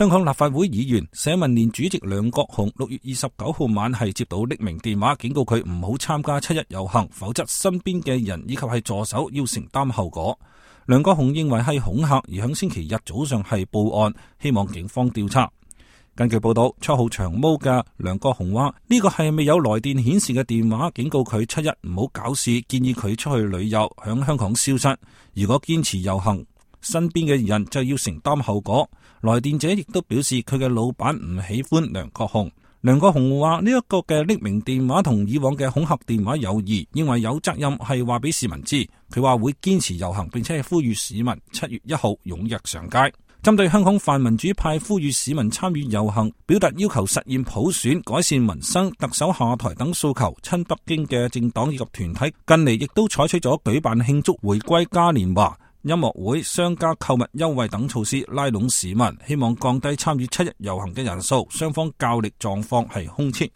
香港立法會議員社民連主席梁國雄6月29號晚係接到匿名電話，警告佢唔好參加7·1遊行，否則身邊嘅人以及係助手要承擔後果。梁國雄認為係恐嚇，而響星期日早上係報案，希望警方調查。根據報道，7號長毛嘅梁國雄話呢個係未有來電顯示嘅電話，警告佢7·1唔好搞事，建議佢出去旅遊，響香港消失。如果堅持遊行，身邊嘅人就要承擔後果。來電者亦都表示佢嘅老闆唔喜歡梁國雄。梁國雄話呢一個嘅匿名電話同以往嘅恐嚇電話有異，認為有責任係話俾市民知。佢話會堅持遊行，並且係呼籲市民7月1號踴躍上街。針對香港泛民主派呼籲市民參與遊行，表達要求實現普選、改善民生、特首下台等訴求，親北京嘅政黨以及團體近嚟亦都採取咗舉辦慶祝回歸嘉年華、音樂會、商家購物優惠等措施，拉攏市民，希望降低參與7·1遊行嘅人數。雙方較力狀況係空前。